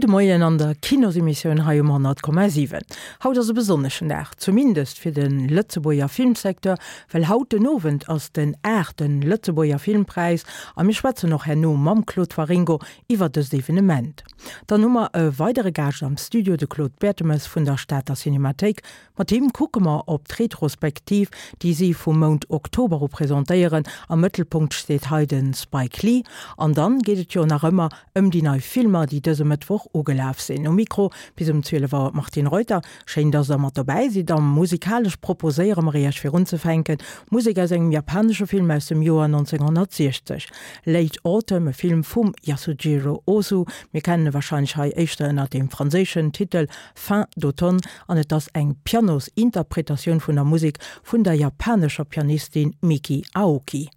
Gudde Moien an der Kinosemissioun hei um 100,7. Haut ass e besonneschen Dag, zumindest fir de Lëtzebuerger Filmsecteur, well haut den Owend ass den aachte Lëtzebuerger Filmpräis a mir schwätzen och herno mam Claude Waringo iwwer dëst Evenement. Dann hu mer e weidere Gaascht am Studio, de Claude Bertemes vun der Stater Cinemathéik. Mat him kucke mer op d'Retrospektiv, déi si vum Mount Oktober u presentéieren. Am Mëttelpunkt steet hei de Spike Lee. An dann geet et jo nach ëmmer ëm déi nei Filmer, déi dëse Mëttwoch ugelaf sinn. Um Mikro bis um 12 Auer d'Martine Reuter. Schéin, dass der mat dobäi sidd. A musikalesch proposéiere mer iech fir unzefänken Musek aus engem japanesche Film aus dem Joer 1960, Late Autumn, e Film vum Yasujiro Ozu. Mir kennen e warscheinlech hei éischter ënner dem franséischen Titel Fin d'automne an et ass eng Pianosinterpretatioun vun der Musek vun der japanescher Pianistin Miki Aoki.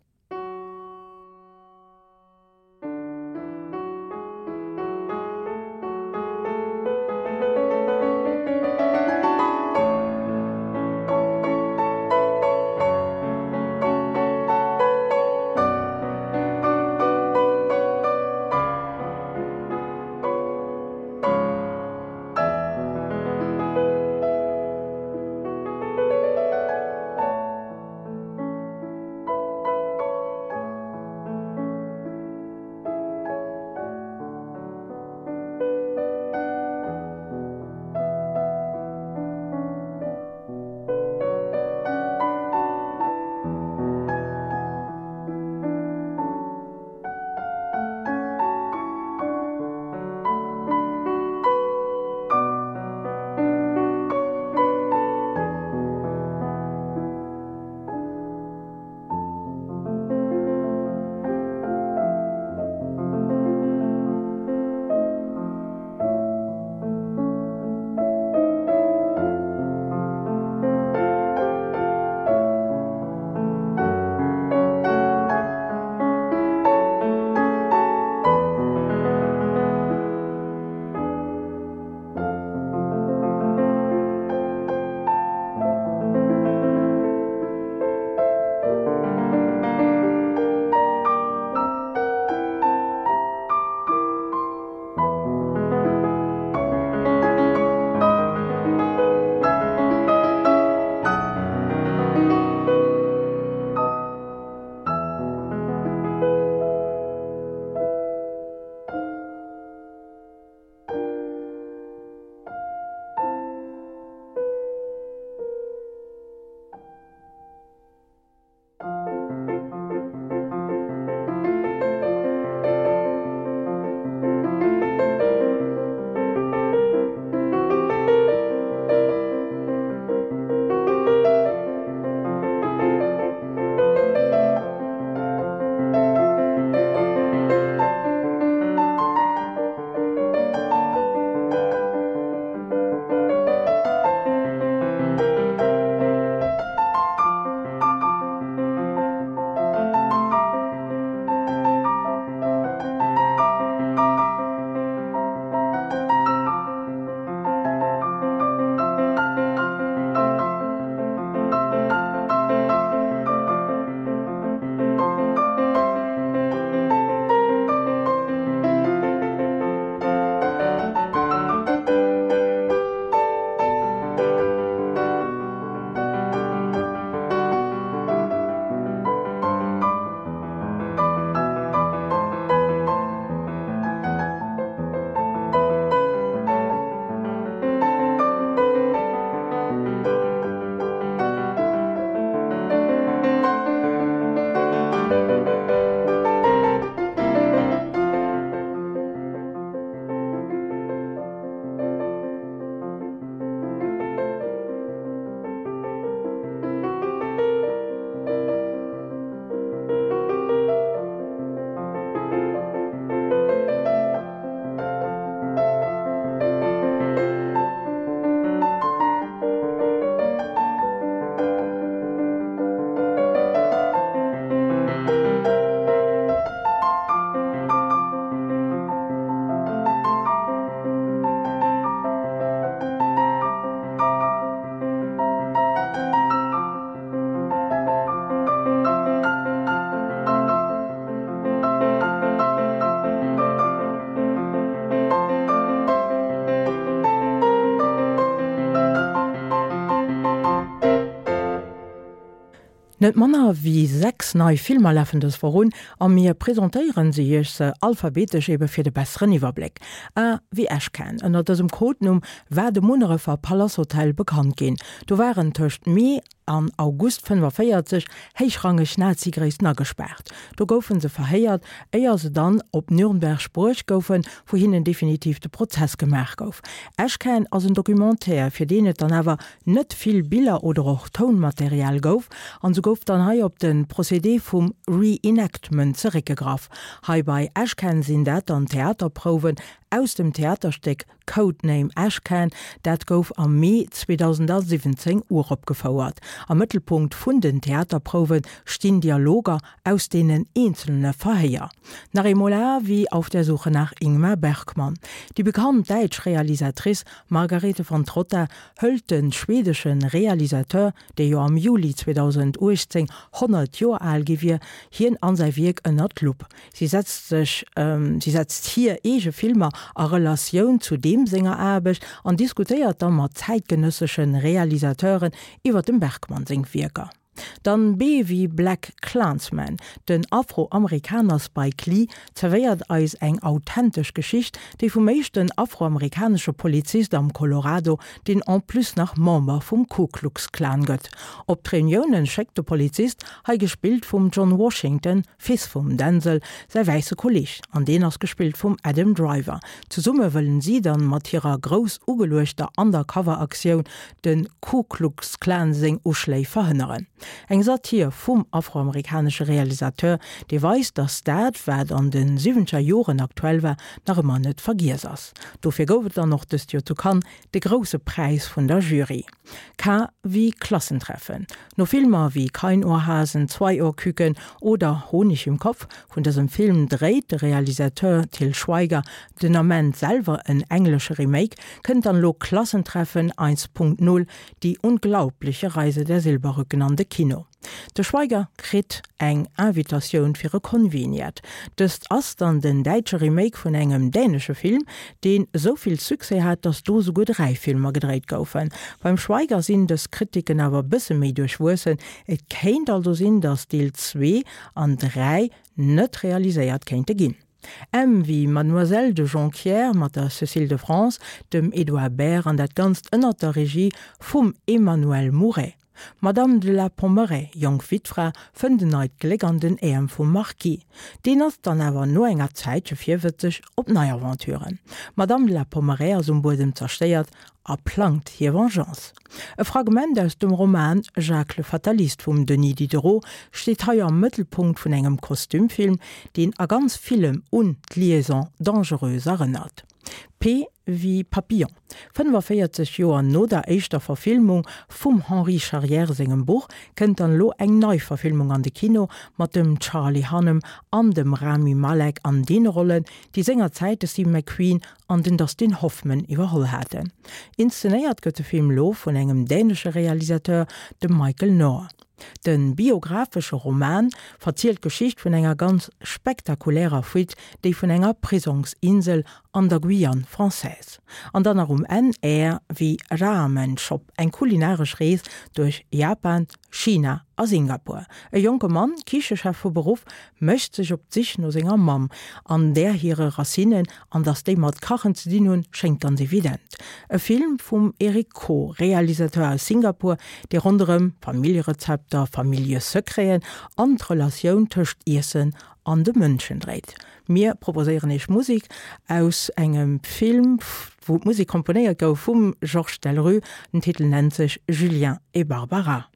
Net manner wéi 6 nei Filmer lafen dës Woch un a mir presentéieren se iech se alphabetesch ebe fir de besseren Iwwerbléck. A wéi Ashcan, ënner dësem Codenumm war de Munnerefer Palace Hotel bekannt ginn. Do waren tëscht Mee an August 45 héichrangeg Nazi-Gréissten agespaart. Do goufe se verhéiert, éier se dann op Nürnberg bruecht goufen, wou hinnen definitiv de Prozess gemaach gouf. Ashcan ass en Documentaire, fir deen et dann awer net vill Biller oder och Tounmaterial gouf, an sou gouf dann hei op de Procédé vum Reenactment zeréckgegraff. Hei bei Ashcan sinn dat dann Theaterprouwen aus dem Theaterstéck Codename Ashcan, dat gouf am Mee 2017 uropgefouert. Am Mëttelpunkt vun den Theaterprouwe stinn Dialoger aus deenen eenzelne Verhéier. Nach eemol A wéi Auf der Suche nach Ingmar Bergman. Déi bekannt däitsch Realisatrice Margarethe von Trotta hëlt de schwedesche Realisateur, dee jo am Juli 2018 100 Joer al gi wier, hien an säi Wierk ënnert d'Lupp. Si setzt sech, si setzt hir eege Filmer a Relatioun zu deem senger Aarbecht an diskutéiert da mat zäitgenëssesche Realisateuren iwwer dem Bergman seng Wierker. Dann B wéi Black Klansman, den Afroamerikaner Spike Lee zerwéiert eis eng authentesch Geschicht, déi vum éischten afroamerikanesche Polizist am Colorado, deen en plus nach Member vum Ku Klux Klan gëtt. Op d'Reuniounen schéckt de Polizist, hei gespillt vum John Washington, Fils vum Denzel säi wäisse Kolleeg, an deen ass gespillt vum Adam Driver. Zesumme wëllen si dann mat hirer grouss ugeluechter Undercover-Aktioun de Ku Klux Klan seng Uschléi verhënneren. Eng Satir vum afroamerikanesche Realisateur, dee weist, datt dat, wat an de siwwenzeger Joren aktuell war, nach ëmmer net vergiess ass. Dofir gouf et dann och dëst Joer zu Cannes de grousse Präis vun der Jury. K wéi Klassentreffen. No Filmer wéi Keinohrhasen, Zweiohrküken oder Honig im Kopf, vun dësem Film dréit de Realisateur Til Schweiger den Ament selwer en englesche Remake, kënnt dann elo Klassentreffen 1.0, Die unglaubliche Reise der Silberrücken an de Kino. De Schweiger kritt eng Invitatioun fir e Conveniat. Dëst ass dann den däitsche Remake vun engem dänesche Film, deen esou vill Succès hat, datt do souguer 3 Filmer gedréit goufen. Beim Schweiger sinn dës Kritiken awer e bësse méi duerchwuessen. Et kéint also sinn, datt Deel 2 an 3 net realiséiert kéinte ginn. M wéi Mademoiselle de Jonquières mat der Cécile de France, dem Edouard Baer an dat Ganzt ënnert der Regie vum Emmanuel Mouret. D'Madame de la Pommeraye, jonk Wittfra, fënnt en neit Gléck an den Äerm vum Marquis. Deen ass dann awer no enger Zäitche virwëtzeg op nei Aventuren. D'Madame de la Pommeraye ass um Buedem zerstéiert a plangt hir Vengeance. E Fragment aus dem Roman Jacques le Fataliste vum Denis Diderot steet hei am Mëttelpunkt vun engem Kostümfilm, deen a ganz villem un d'Liaison dangereuse erënnert. P wéi Papillon. 45 Joer no der éischter Verfilmung vum Henri Charrière sengem Buch kënnt dann elo eng nei Verfilmung an de Kino mat dem Charlie Hunnam an dem Rami Malek an deene Rollen, déi sengerzäit de Steve McQueen an den Dustin Hoffman iwwerholl haten. Inszenéiert gëtt de Film elo vun engem dänesche Realisateur, dem Michael Noer. De biographesche Roman verzielt d'Geschicht vun enger ganz spektakulärer Fuite, déi vun enger Prisongsinsel an der Guyane française. An dann nach um Enn R wéi Ramen Shop, eng kulinaresch Rees duerch Japan, China a Singapur. E jonke Mann, Kichechef vu Beruff, mécht sech op d'Sich no senger Mamm an där hire Racinen, an datt déi mat Kachen ze dinn hunn, schéngt ganz evident. E Film vum Eric Koh, Realisateur aus Singapur, dee ronderëm Familljerezepter, Familljesecreten an d'Relatioun tëscht Iessen an de Mënschen dréit. Mir proposéieren Iech Musek aus engem Film, wou d'Musek komponéiert gouf vum Georges Delrue. Den Titel nennt sech Julien et Barbara.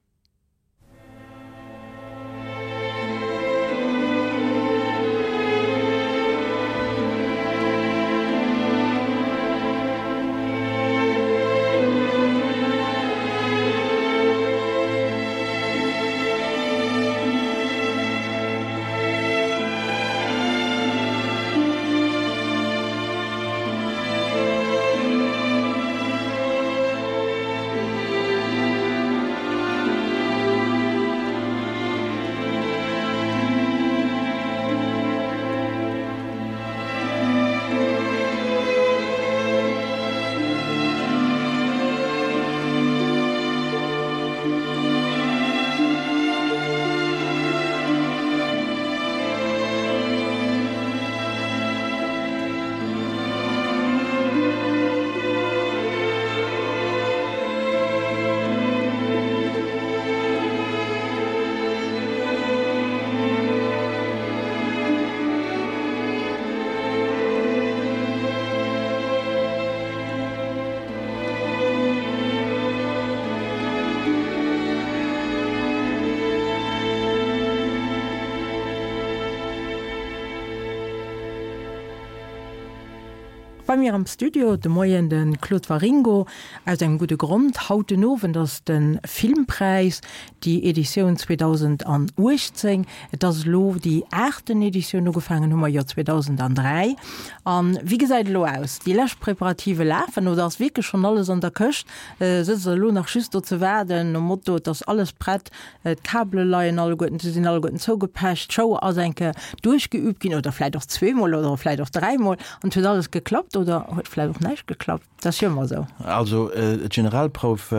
Bei mir am Studio de Moien de Claude Waringo aus engem gudde Grond. Haut den Owend ass de Filmpräis, déi Editioun 2018. Et ass elo déi aachten Editioun, ugefaangen hu mer jo 2003. A wéi gesäit et elo aus? Déi lescht Preparative lafen oder ass wierklech schonn alles an der Këscht? Sëtzt der elo nach just do ze waarden, nom Motto, et ass alles prett, d'Kabele leien alleguerten, se sinn alleguerten zougepecht, d'Show ass eng Kéier duerchgeüübt ginn oder vläicht och zweemol oder vläicht och dräimol an et huet alles geklappt oder huet vläicht och näischt geklappt? Dat ass jo ëmmer esou. Also d'Generalprouf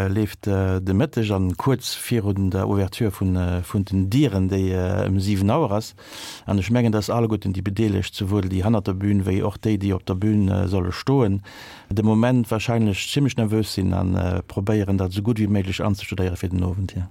leeft de Mëtteg an kuerz virun der Ouverture vun den Dieren, déi ëm 7 Auer ass. An ech mengen, dass alleguerten déi Bedeelegt, souwuel déi hannert der Bühn wéi och déi, déi op der Bühn solle stoen, de Moment wahrscheinlech zimmlech nervös sinn a probéieren, dat esou gutt wéi méiglech anzestudéiere fir den Owend hier.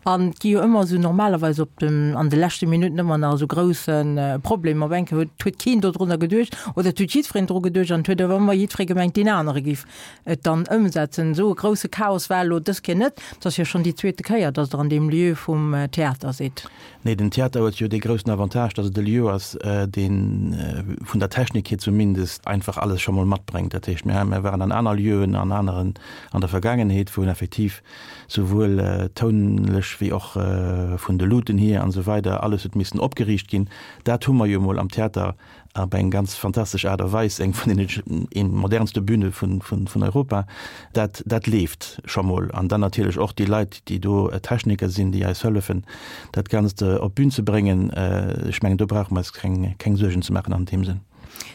An et gi jo ëmmer esou normalerweis op dem, an de leschte Minutten ëmmer nach esou grousse Problemer. Op eng Kéier huet, huet keen dodrunner geduecht oder et huet jiddwereen dru geduecht an et huet awer ëmmer jiddweree gemengt, deen anere géif et dann ëmsetzen. Esou e grousse Chaos war elo dës Kéier net. Et ass jo schonn déi zweete Kéier, datt Der an deem Lieu vum Theater sidd. Nee, den Theater huet jo dee groussen Avantage, datt et e Lieu ass, dee vun der Technik hier zumindest einfach alles scho mol matbréngt. Dat heescht, mir, mir waren an aner Lieuen an aneren an der Vergaangenheet, wou en effektiv souwuel tounlech wéi och vun de Luuten hier an esou weider alles huet missen opgeriicht ginn. Dat hu mer jo emol am Theater op eng ganz fantastesch Aart a Weis, eng vun den modernste Bühne vun Europa. Dat, dat leeft scho mol. An dann natierlech och déi Leit, déi do Techniker sinn, déi eis hëllefen, dat Ganzt op d'Bün ze bréngen. Ech mengen, do brauche mer eis keng Suergen ze maachen an deem Sënn.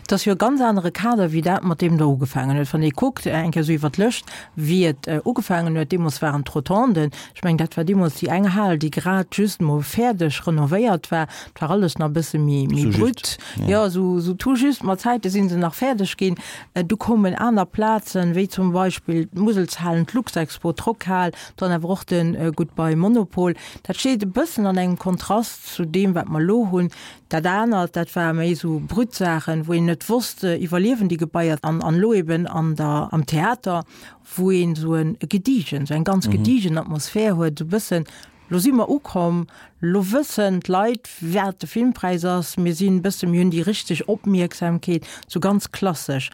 Et ass jo e ganz anere Kader wéi dat, mat deem Der ugefaangen huet. Wann ee kuckt, eng Kéier esou iwwer d'Lëscht, wéi et ugefaangen huet, deemools waren d'Rotonden, ech mengen, dat war deemools déi eng Hal, déi grad just mol fäerdeg renovéiert war. Et war alles nach e bësse méi, méi brut. Jo, esou, esou tout juste mat Zäite si se nach fäerdeg ginn. Du koumen aner Plazen, wéi zum Beispill d'Muselshalen, d'Luxexpo, d'Rockhal, dann awer och de Goodbye Monopol. Dat steet e bëssen an engem Kontrast zu deem, wat mer elo hunn. Dat anert, dat ware méi esou brut Saachen, wou een net wosst, iwwerliewen déi Gebaier? An elo eben an der, am Theater, wou een esou e gediegen, esou eng ganz gediegen Atmosphär huet, esou e bëssen, lo si mer ukomm, lo wëssen d'Leit, wat de Filmpräis ass, mir sinn e bëssen, mir hunn déi richteg Opmierksamkeet, esou ganz klassesch.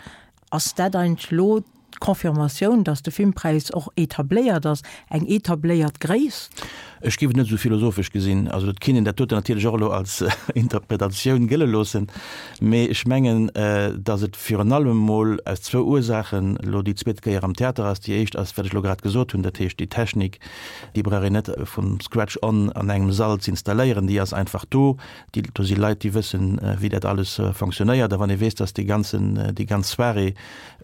Ass dat eigentlech elo d'Confirmatioun, datt de Filmpräis och etabléiert ass, eng etabléiert Gréisst? Ech géif et net esou philosophesch gesinn. Also et kinnt een dat doten natierlech och elo als Interpretatioun gëlle loossen, mee ech mengen, datt et virun allem emol aus zwou Ursaachen elo déi zweet Kéier am Theater ass. Déi éischt ass, wat ech elo grad gesot hunn, dat heescht déi Technik, déi brauch een net vum Scratch on an engem Sall z'installéieren, déi ass einfach do. Déi, do si Leit, déi wëssen, wéi dat alles fonctionnéiert. A wann ee weess, dass dee ganzen, déi ganz Soirée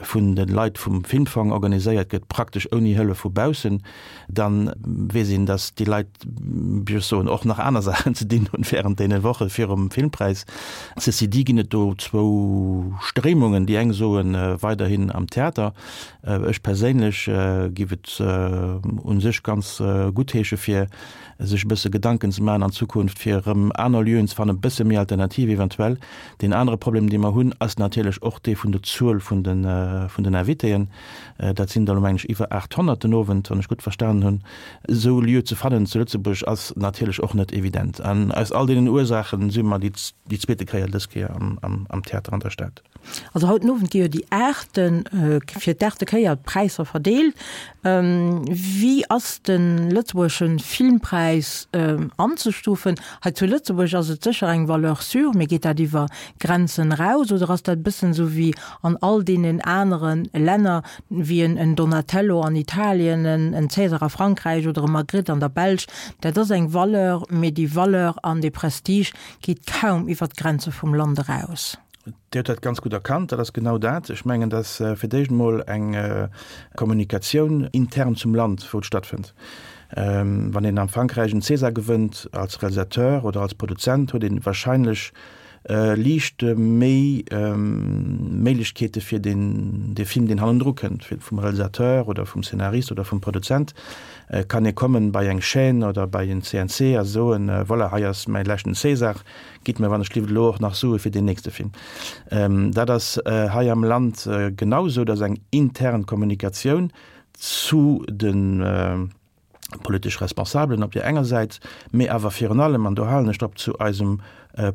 vun de Leit vum Filmfong organiséiert gëtt, praktesch ouni Hëllef vu baussen, da weess een, dass déi Leit, wéi ech soen, och nach aner Saachen ze dinn hunn während deene Woche virum Filmpräis. Ceci dit ginn et do zwou Stréimungen. Déi eng soen, weiderhin am Theater. Ech perséinlech giff et u sech ganz guttheesche fir sech e bësse Gedanken ze maachen an Zukunft, fir erëm aner Lieuen ze fannen, e bësse méi alternativ eventuell. Deen anere Problem, dee mer hunn, ass natierlech och dee vun der Zuel vun de, vun den Invitéen. Dat sinn der elo, mengen ech, iwwer 800 den Owend, wann ech gutt verstanen hunn. Esou Lieu ze fannen zu Lëtzebuerg ass natierlech och net evident. An aus all deenen Ursaache si mer déi zweete Kéier dës Kéier am, am Theater an der Stad. Also haut den Owend gi jo déi aachte, fir d'achte Kéier d'Präisser verdeelt. Wéi ass de lëtzebuergesche Filmpräis anzestufen? Hei zu Lëtzebuerg ass et sécher eng Valeur sûre, mee geet dat iwwer Grenzen eraus oder ass dat e bëssen esou wéi an all deenen anere Länner, wéi en Donatello an Italien, en César a Frankräich oder e Magritte an der Belsch? Dat ass eng Valeur, mee déi Valeur an dee Prestige geet kaum iwwer d'Grenze vum Land eraus. Dir hutt dat ganz gutt erkannt, dat ass genau dat. Ech mengen, dass fir d'éischt emol eng Kommunikatioun intern zum Land, wou et stattfënnt. Wann een am Frankräich en César gewënnt als Realisateur oder als Produzent, huet ee wahrscheinlech liicht méi Méiglechkeete fir deen dee Film, deen hannendru kënnt, vum Realisateur oder vum Scénarist oder vum Produzent, kann ee kommen bei eng Chaîne oder bei en CNC a soen, voilà, hei ass mäi leschten César, Gitt mir wann ech lift elo och nach Sue fir deen nächste Film. Dat ass hei am Land genau esou, dass eng intern Kommunikatioun zu de politesch Responsabelen op där enger Säit, mee awer virun allem, an do halen ech drop, zu eisem.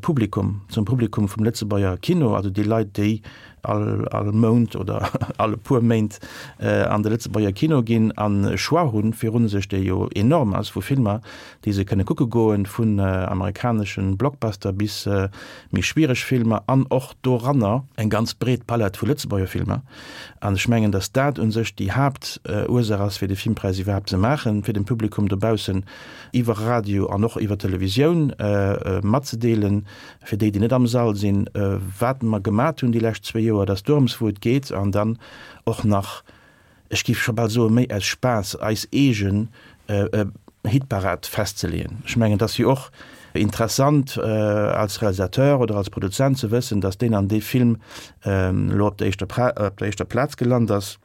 Publikum, zum Publikum vum Lëtzebuerger Kino, also déi Leit, déi all all Mount oder all e puer Méint an de Lëtzebuerger Kino ginn an e Choix hunn virun sech, dee jo enorm ass, vu Filmer, déi se kënne kucke goen, vun amerikaneschen Blockbuster bis méi schwiereg Filmer an och doranner eng ganz breet Palett vu Lëtzebuerger Filmer. An ech mengen, datt dat u sech déi Haaptursaach ass, fir de Filmpräis iwwerhaapt ze maachen, fir dem Publikum dobaussen iwwer Radio an och iwwer Televisioun matzedeelen, fir déi, déi net am Sall sinn, wat mer gemat hunn déi lescht zwéi Joer, dass dorëms wou et geet, an dann och nach, ech géif scho bal soen, méi aus Spaass, eis eegen Hitparad festzeleeën. Ech mengen, et ass jo och interessant als Realisateur oder als Produzent ze wëssen, dass deen an dee Film elo op der éischter Plaz gelant ass.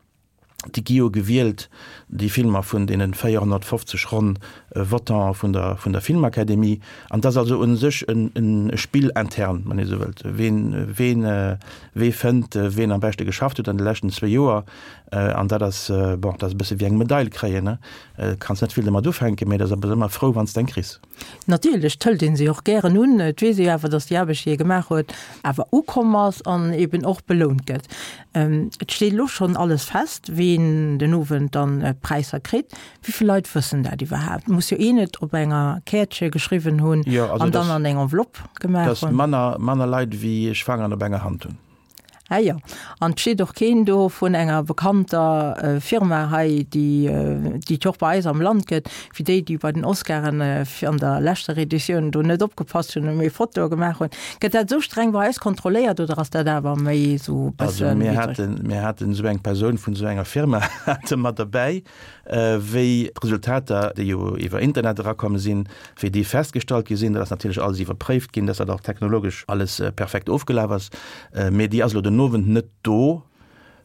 Déi gi jo gewielt, déi Filmer, vun deene 450 ronn Votante vun der, vun der Filmakademie. An et ass also u sech e Spill interne, wann ee sou wëllt, ween, ween, wee fënnt, ween am beschte geschafft huet an de leschten zwee Joer. An dat ass, bon, dat ass e bësse wéi eng Medail kréien, ne? Kanns net vill domat ufänken, mee et ass awer ëmmer frou, wann s de eng kriss. Natierlech, 't hëlt een se och gären un. Et weess ee jo awer, datt déi Aarbecht, déi ee gemaach huet, awer ukomm ass an eben och belount gëtt. Et steet elo schonn alles fest, ween den Owend dann d'Präisser kritt. Wéi vill Leit wëssen dat iwwerhaapt? Muss jo een et op enger Käertche geschriwwen hunn an dann an eng Enveloppe gemaach hunn. Dass manner Leit wéi ech Fangeren op enger Hand hunn. Ah jo, an et steet och keen do vun enger bekannter Firma hei, déi déi et jo och bei eis am Land gëtt, wéi déi, déi bei den Oscaren an der leschter Editioun do net opgepasst hunn a méi Fotoe gemaach hunn. Gëtt dat esou streng bei eis kontrolléiert oder ass dat awer méi esou e bëssen? Also mir haten, mir haten esou eng Persoun vun esou enger Firma hate mer derbäi, Wéi d'Resultater, déi jo iwwer Internet erakomm sinn, wéi déi festgestallt gi sinn, dat ass natierlech alles iwwerpréift ginn, dass dat och technologesch alles perfekt ofgelaf ass, mee déi ass elo den Owend net do.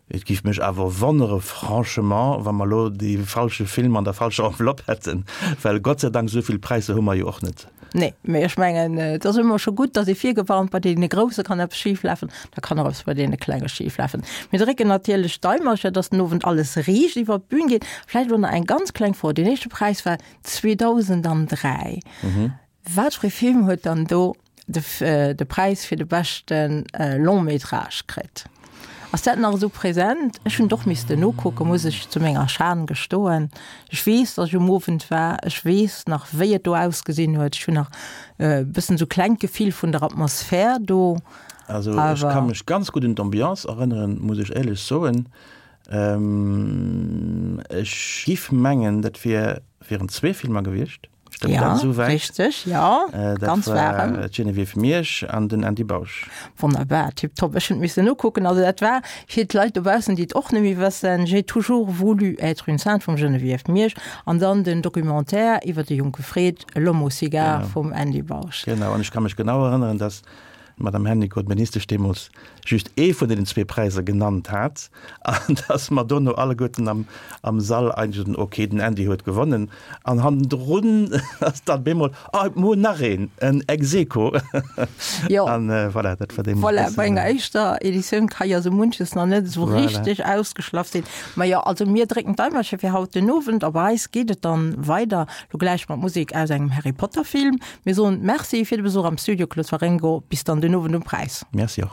Et géif mech awer wonnere franchement, wa mer elo dee falsche Film an der falscher Enveloppe hätten, well Gott sei Dank esou vill Präisser hu mer jo och net. Nee, mee ech mengen, et ass ëmmer scho gutt, datt ee virgewarnt, bei deene Grousse kann eppes schiflafen, da kann och eppes bei deene Klenge schiflafen. Mir drécken natierlech d'Daimercher, datt den Owend alles riicht iwwer d'Bün geet. Vläicht elo nach eng ganz kleng Fro, Deen éischte Präis war 2003. Wat fir ee Film huet dann do de Präis fir de beschte Long-métrage kritt? Ass dat nach esou präsent? Ech hunn et och missten nokucken, muss ech zu menger Schan gestoen. Ech weess, datt ech um Owend war. Ech weess nach, wéi et do ausgesinn huet. Ech hunn nach e bëssen esou klengt Gefill vun der Atmosphär do. Also ech ka mech ganz gutt un d'Ambiance erënneren, muss ech éierlech soen. Ech giff mengen, dat wier, wieren zwee Filmer gewiescht. Stëmmt ja, dat souwäit? Richteg, ja. Äh, dat ganz war d'Geneviève Miersch an den Andy Bausch. Wonnerbar, tipptopp. Ech hunn missen nokucken. Also dat war fir d'Leit dobaussen, déi et och net méi wëssen, J'ai toujours voulu être une sainte vum Geneviève Miersch an dann den Documentaire iwwer de jonke Fred, L'homme au cigare vum Andy Bausch. Genau, an ech ka mech genau erënneren, dass d'Madame Hennicot, d'Ministesch deemools, just ee vun deenen zwee Präisser genannt hat an dass mer dono alleguerten am, am Sall eigentlech soten, okay, den Andy huet gewonnen. An hannendrun ass dann bemol, ah, mir hunn nach een, en ex aequo. Jo. An voilà, dat war deemools. Voilà, bei enger éischter Editioun ka jo esou munches nach net esou richteg ausgeschlaff sinn. Ma jo, also mir drécken d'Daimercher fir haut den Owend a bei eis geet et dann weider, lo gläich mat Musek aus engem Harry Potter Film. Mir soen Merci fir de Besuch am Studio, Claude Waringo. Bis dann den Owend um Präis. Merci och.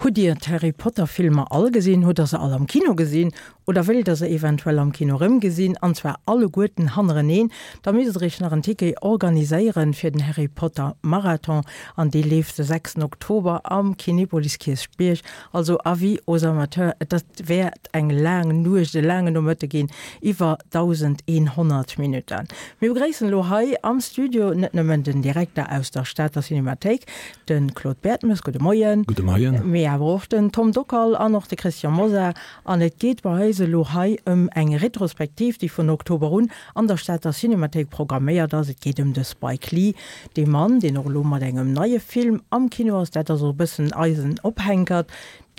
Hutt Dir d'Harry Potter Filmer all gesinn? Hutt der se all am Kino gesinn? Oder wéilt der se eventuell am Kino rëmgesinn, an zwar alleguerten hannereneen? Da misst der iech nach en Ticket organiséieren fir den Harry Potter Marathon an dee leeft de 6 Oktober am Kinepolis Kierchbierg. Also Avis aux amateurs, et wäert eng laang Nuecht, e laangen Nomëtte ginn, iwwer 1.100 Minutten. Mir begréissen elo hei am Studio net nëmmen den Direkter aus der Stater Cinemathéik, De Claude Bertemes, gudde Moien. Gudde Moien. Mee awer och den Tom Dockal an och de Christian Mosar. An et geet bei eis elo hei ëm eng Retrospektiv, déi vun Oktober un an der Stater Cinemathéik programméiert ass. Et geet ëm de Spike Lee, dee Mann, deen och elo mat engem neie Film am Kino ass. Dat ass och e bëssen eisen Ophänkert,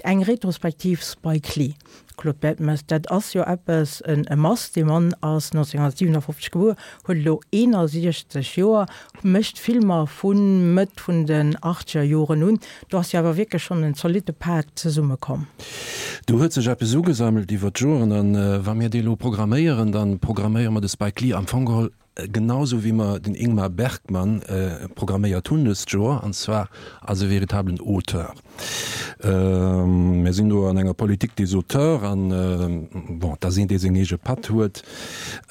eng Retrospektiv Spike Lee. Claude Bertemes, dat ass jo eppes, e Mast. Dee Mann ass 1957 gebuer, huet elo 61 Joer, mécht Filmer vu Mëtt vun den achtzeger Joren un. Do ass jo awer wierklech schonn en zolitte Pak zesummekomm. Do huet sech eppes ugesammelt iwwer d'Joren. A wa mir dee elo programméieren, da programméiere mer de Spike Lee am Fong geholl genau esou wéi mer den Ingmar Bergman programméiert hunn dëst Joer, an zwar als e veritablen Auteur. Mir sinn do an enger Politique des auteurs an, bon, et ass een, dee seng eege Patt huet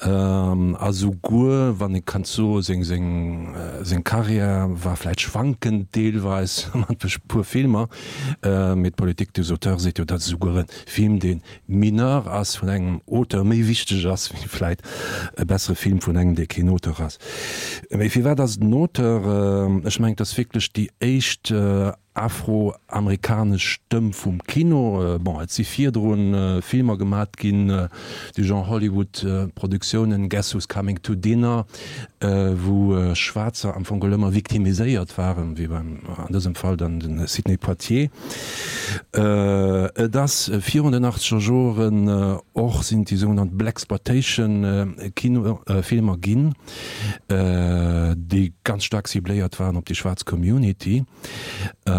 a souguer, wann ee kann soen, seng, seng, seng Carrière war vläicht schwankend deelweis mat e puer Filmer, mee d'Politique des auteurs seet jo, datt esouguer e Film, dee mineur ass, vun engem Auteur méi wichteg ass wéi vläit e bessere Film vun engem, dee keen Auteur ass. Mee firwat ass et en Auteur? Ech mengen, et ass wierklech déi éischt afroamerikanesch Stëmm vum Kino. Bon, et si virdru Filmer gemat ginn, déi Genre Hollywood-Produktiounen, Guess Who's Coming to Dinner, wou Schwaarzer am Fong geholl ëmmer victimiséiert waren, wéi beim, an dësem Fall dann de Sidney Poitier. Et ass virun den achtzeger Joren och sinn déi sougenannt Blaxploitation Kino Filmer ginn, déi ganz staark cibléiert waren op déi schwaarz Community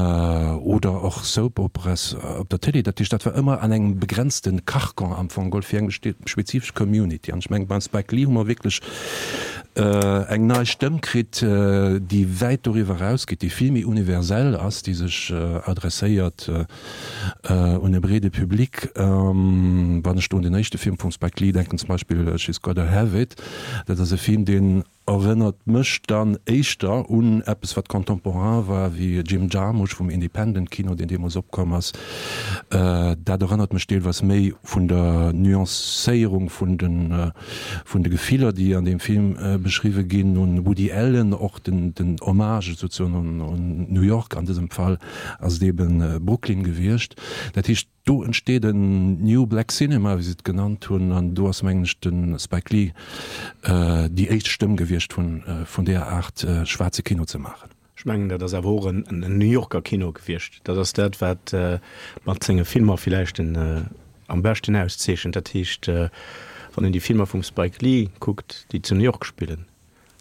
oder och Soap Operas op der Télé. Dat heescht, dat war ëmmer an engem begrenzte Carcan am Fong geholl fir eng spezifesch Community. An ech mengen, beim Spike Lee hu mer wierklech eng nei Stëmm kritt, déi wäit doriwwer erausgeet, déi vill méi universell ass, déi sech adresséiert un e breede Public. Wann ech do un den éischte Film vum Spike Lee denken, zum Beispill She's Gotta Have It, dat ass e Film, deen erënnert mech dann éischter un eppes, wat contemporain war, wéi Jim Jarmusch vum Independent Kino, deen deemools opkomm ass. Dat erënnert mech deelweis méi vun der Nuancéierung vun de vun de Gefiller, déi an deem Film beschriwwe ginn, un Woody Allen, och den Hommage souzesoen un New York, an dësem Fall ass et eben Brooklyn gewiescht. Dat heescht, do entsteet en New Black Cinema, wéi se et genannt hunn, an do ass, mengen ech, de Spike Lee déi éischt Stëmm gewiescht vun deeër Aart schwaarze Kino ze maachen. Ech mengen, dat ass awer och en New Yorker Kino gewiescht. Dat ass dat, wat mat senge Filmer villäicht en am beschten auszeechent. Dat heescht, wann een déi Filmer vum Spike Lee kuckt, déi zu New York spillen,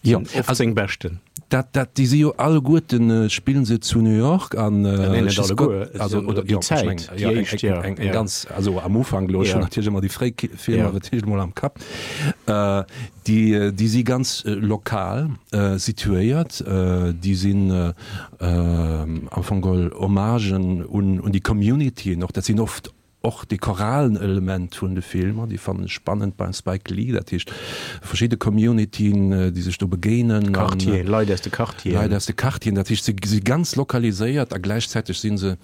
sinn oft seng beschten. Dat, dat, déi si jo alleguerten, spillen se zu New York an. Nee, net alleguer, also oder déi Zäit, déi éischt, jo. Eng ganz, also am Ufank elo, ech hunn natierlech ëmmer déi fréi Filmer natierlech emol am Kapp. Déi, déi si ganz lokal situéiert, déi sinn am Fong geholl Hommagen un, un déi Communityen och. Dat sinn oft och déi choralen Element vun de Filmer, déi fannen ech spannend beim Spike Lee, dat heescht verschidde Communityen, déi sech do begéinen. Quartieren, Leit aus de Quartieren. Leit aus de Quartieren, dat heescht se si ganz lokaliséiert a gläichzäiteg si se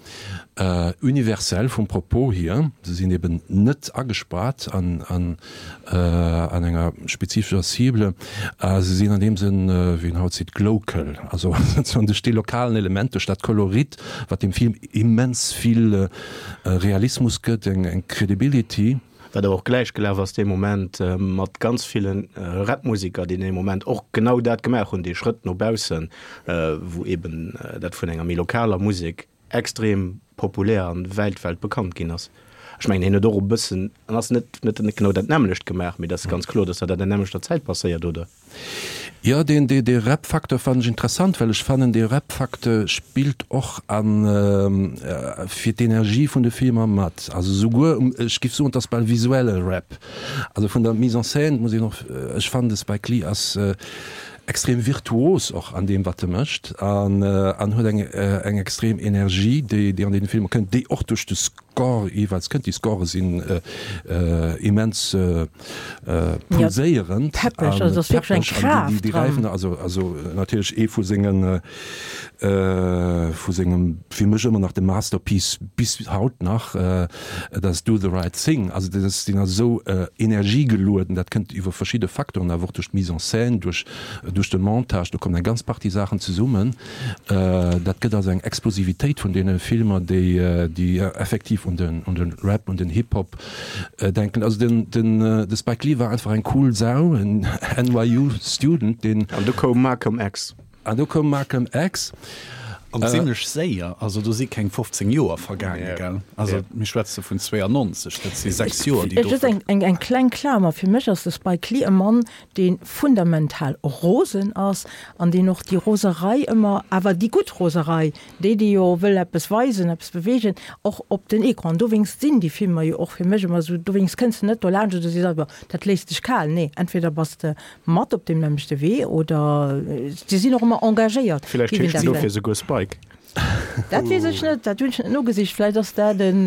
universell vum Propos hier. Se sinn eben net agespaart an, an an enger spezifescher Cible. A se sinn an deem Sënn, wéi een haut seet, glocal, also sozusagen duerch dee lokalen Element, duerch dat Kolorit, wat dem Film immens vill Realismus gëtt, eng Credibility. Wat awer och gläich gelaf ass dee Moment mat ganz ville Rapmuseker, déi dee Moment och genau dat gemaach hunn, dee Schrëtt no baussen, wou eben dat vun enger méi lokaler Musek extrem populär an wäit weltbekannt ginn ass. Ech mengen hien huet och e bëssen, en ass net net genau dat nämmlecht gemaach, mee dat ass ganz kloer, datt dat an der nämmlechter Zäit passéiert, oder? Jo, deen dee dee Rap-Facteur fannen ech interessant, well ech fannen dee Rap-Facteur spillt och an fir d'Energie vun de Filmer mat. Also souguer um, ech giff soen, et ass bal visuelle Rap. Also vun der Mise en scène muss een och, ech fannen de Spike Lee ass. extrem virtuos och an deem wat e mécht an an huet eng eng extrem Energie déi déi an deene Filmer kënnt, déi och duerch de Score jeeweils kënnt. Déi Score sinn immens pulséierend a peppeg an déi déi gräifen also also natierlech ee vu sengen vu sengem fir mech ëmmer nach de Masterpiece bis haut nach, dat ass Do the Right Thing. Also dat ass, deen ass esou energiegelueden, dat kënnt iwwer verschidde Facteuren, awer och duerch d'Mise en scène, duerch duerch de Montage, do kommen eng ganz Partie Saachen zesummen. Dat gëtt also eng Explosivitéit vun deene Filmer, déi déi effektiv un den un de Rap, un den Hip-Hop denken. Also den den de Spike Lee war einfach eng cool Sau, en NYU Student, deen. An du koum Malcolm X. An do koum Malcolm X. An zimlech séier, also do si keng 15 Joer vergaangen, gell? Also mir schwätze vun 92, dat si 6 Joer, déi do. Just eng kleng Klamer, Fir mech ass de Spike Lee e Mann, dee fundamental rosen ass an deen och déi Roserei ëmmer, awer déi gutt Roserei, déi, déi jo wëll eppes weisen, eppes beweegen, och op den Ecran. Dowéinst sinn déi Filmer jo och fir mech ëmmer esou, dowéinst kënns de net dolaanscht oder sees einfach, dat léisst dech kal. Nee, entweder bass de Mat op deem nämmlechte Wee oder si sinn och ëmmer engagéiert. Villäicht heescht en dofir souguer Spike. Dat weess ech net, dat hunn ech net nogesicht. Vläicht ass dat en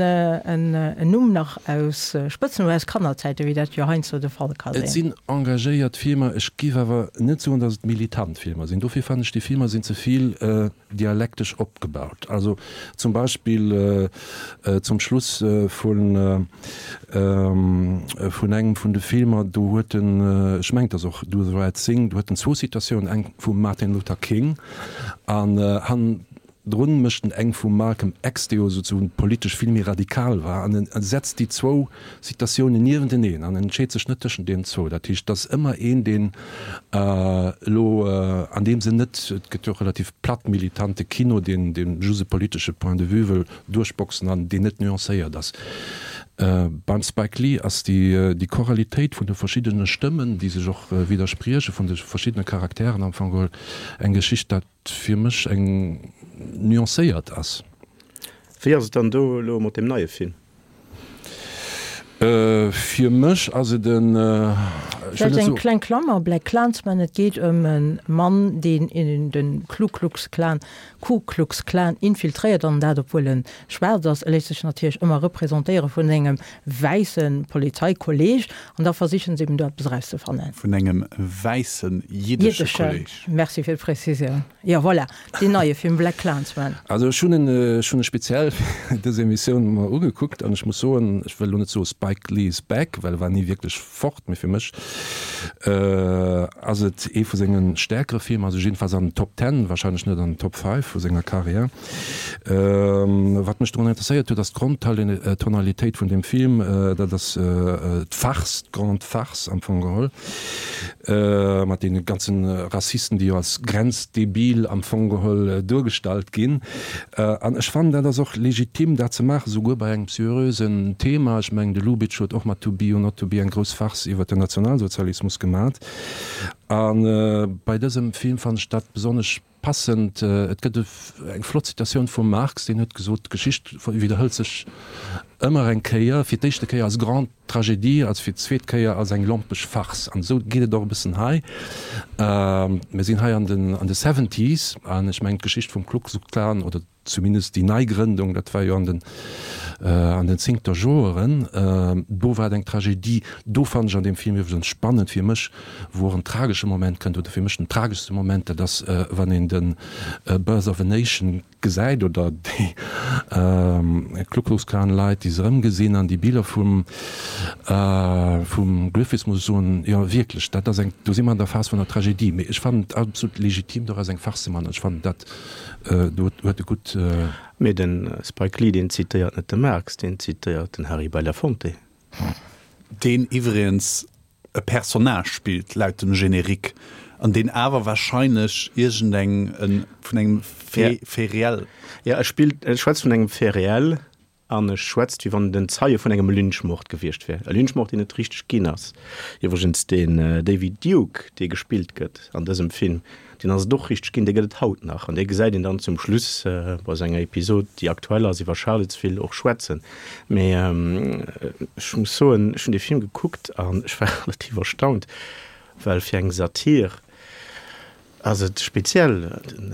Numm nach aus Spëtznumm aus Kannerzäiten, wéi dat jo heiansdo de Fall ka sinn. Et sinn engagéiert Filmer, ech géif awer net soen, datt et militant Filmer sinn. Dofir fannen ech, déi Filmer sinn ze vill dialektesch opgebaut. Also zum Beispill zum Schluss vun vun engem vun de Filmer, do huet en, ech mengen et ass och Do the Right Thing, do huet en zwou Citatiounen, eng vum Martin Luther King an hannendrun mécht en eng vum Malcolm X, dee jo souzesoen politesch vill méi radikal war, an en setzt déi zwou Citatiounen niewenteneen an en entscheet sech net tëschent deenen zwou. Dat heescht, et ass ëmmer een, deen elo an deem Sënn net, et gëtt jo och relativ platt militante Kino, deen dee just e politesche Point de vue wëll duerchboxen an deen net nuancéiert ass. Beim Spike Lee ass déi déi Choralitéit vun de verschiddene Stëmmen, déi sech och widdersprieche, vun de verschiddene Charakteren am Fong geholl eng Geschicht, dat fir mech eng nuancéiert ass. Wéi ass et dann do elo mat deem neie Film? Fir mech ass et en, ech wëll net soen. Eng kleng Klammer, Black Klansman, et geet ëm e Mann, deen in de Klu Klux Klan, Ku Klux Klan infiltréiert, an dat obwuel en schwaarz ass. E léisst sech natierlech ëmmer representéiere vun sengem wäisse Polizeikolleeg, an da versichen se eben do eppes erauszefannen. Vun engem wäissen jiddesche Kolleeg. Merci fir d'Präzisioun. Jo, voilà. Deen neie Film Black Klansman. Also ech hunn en, ech hunn e speziell fir dës Emissioun mer ugekuckt an ech muss soen, ech wëll elo net soe Spike Lee is back, well e war ni wierklech fort, mee fir mech ass et ee vu senge stäerkere Filmer, also jiddefalls an den Top Ten, wahrscheinlech net an den Top Five vu senger Karriär. Wat mech drun interesséiert huet, ass d'Grondtonalitéit vun deem Film, dat ass d'Farce, d'grande Farce am Fong geholl. Mat deene ganzen Rassisten, déi jo als grenzdebil am Fong geholl duergestallt ginn. An ech fannen, dat ass och legitim, dat ze maachen, souguer bei engem seriösen Thema. Ech mengen, de Lubitsch huet och mat To be or not to be eng grouss Farce iwwert den Nationalsozialismus gemat. A bei dësem Film fannen ech dat besonnesch Passend, et gëtt eng flott Zitatioun vum Marx, deen huet gesot, D'Geschicht widderhëlt sech ëmmer eng Kéier, fir d'éischte Kéier als grande Tragédie, als fir d'zweet Kéier als eng lompeg Farce. An esou geet et och e bëssen hei. Mir sinn hei an den an de Seventies an ech mengen d'Geschicht vum Ku Klux Klan oder zumindest déi Neigrëndung, dat war jo an den an den zéngter Joeren, do war et eng Tragedie. Do fannen ech an deem Film iwwregens spannend fir mech, wou och en tragesche Moment kënnt, oder fir mech den trageschste Moment, dat ass wann een de Birth of a Nation gesäit oder déi Ku Klux Klan Leit, déi se erëmgesinn an déi Biller vum vum Griffith, muss ech soen, jo wierklech, dat ass eng, do si mer an der Phas vun der Tragedie. Mee ech fannen et absolut legitim doraus eng Farce ze man. Ech fannen dat Do huet e gutt. Mee de Spike Lee, deen zitéiert net de Marx, deen zitéiert den Harry Belafonte. Deen iwwregens e Personnage spillt, laut dem Générique, an deen awer wahrscheinlech iergendeng vun engem Fait réel. Jo, e spillt, e schwätzt vun engem Fait réel. An e schwätzt, wéi wann en den Zeie vun engem Lynchmord gewiescht wär. E Lynchmord, deen net richteg ginn ass. Iwwregens, deen David Duke, dee gespillt gëtt an dësem Film, deen ass et och richteg ginn, dee gëtt et haut nach. An dee gesäit een dann zum Schluss bei senger Episod, déi aktuell ass, iwwer Charlottesville och schwätzen. Mee ech muss soen, ech hunn dee Film gekuckt an ech war relativ erstaunt, well fir eng Satir. Ass et speziell. Den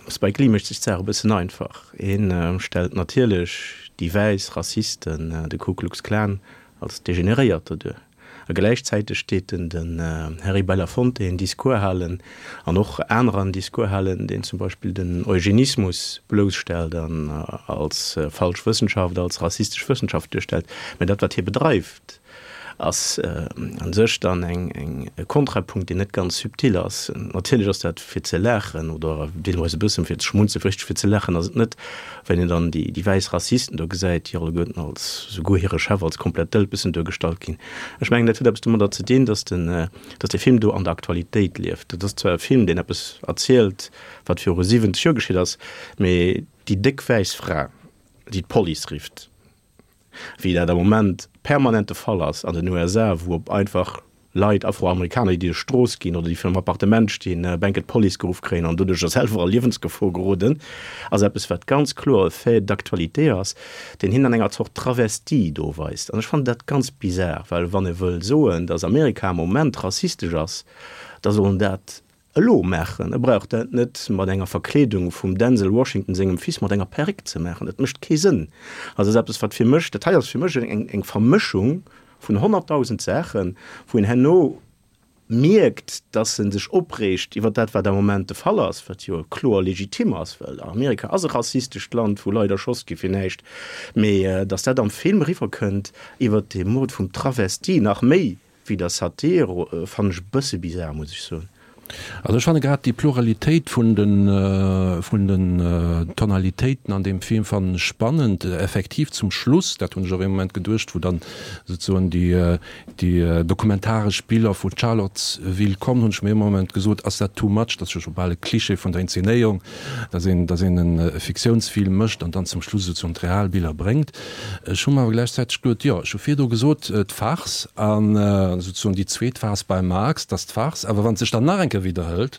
Spike Lee mécht sech d'Saach e bëssen einfach. Hien stellt natierlech déi wäiss Rassisten, de Ku Klux Klan, als Degeneréierter duer. A gläichzäiteg deet en den Harry Belafonte en Discours halen, an och anerer en Discours halen, deen zum Beispill den Eugenismus blousstellt an als falsch Wëssenschaft, als rassistesch Wëssenschaft duerstellt. Mä dat, wat hie bedreift, ass a sech dann eng e Kontrapunkt, deen net ganz subtil ass. Natierlech ass dat fir ze laachen oder deelweis e bëssen fir ze schmunzelen, richteg fir ze laachen ass et net, Wenn een dann déi wäiss Rassisten do gesäit, déi alleguerten als, souguer hire Chef als komplett Dëlpessen duergestallt ginn. Ech mengen, dat huet eppes domadder ze dinn, dass den, dass dee Film do an der Aktualitéit lieft. Dat ass zwar e Film, deen eppes erzielt, wat viru 70 Joer geschitt ass, mee déi déck wäiss Fra, déi d'Police rifft, wéi dat am Moment permanent de Fall ass an den USA, wou op einfach Leit, Afroamerikaner, déi duerch d'Strooss ginn oder déi virun engem Appartement stinn, bänke d'Police geruff kréien an doduercher selwer a Liewensgefor geroden, ass eppes, wat ganz kloer e Fait d'actualité ass, deen hien an enger Zort Travestie do weist. An ech fannen dat ganz bizar, well wann e wëll soen, datt Amerika am Moment rassistesch ass, da soll en dat elo maachen. E brauch dat net mat enger Verkleedung vum Denzel Washington sengem Fils mat enger Perréck ze maachen. Dat mécht kee Sënn. Also dat ass eppes, wat fir mech, dat hei ass fir mech eng Vermëschung vun 100.000 Saachen, wou een herno mierkt, dass e sech opreegt iwwer dat, wat am Moment de Fall ass, wat jo kloer legitim ass, well Amerika ass e rassistescht Land, wou Leit erschoss gi fir näischt, mee dass dat am Film eriwwerkënnt iwwer de Mord vum Travesti nach méi Wéi der Satire fannen ech e bësse bizar, muss ech soen. Also ech fanne grad déi Pluralitéit vun de vun den Tonalitéiten an deem Film fannen ech spannend. Effektiv zum Schluss, dat hunn ech och ee Moment geduecht, wou dann souzesoen déi déi dokumentaresch Biller vu Charlottesville kommen, hunn ech mir ee Moment gesot, ass dat too much, dat ass jo scho bal e Cliché vun der Inzenéierung, datt een datt een e Fiktiounsfilm mécht an dann zum Schluss souzesoen d'real Biller bréngt. Ech hu mer awer gläichzäiteg geduet, jo, ech hu virdu gesot, d'Farce an souzesoen déi zweet Phas beim Marx, dass d'Farce, awer wann et sech dann nach eng Kéier widderhëlt,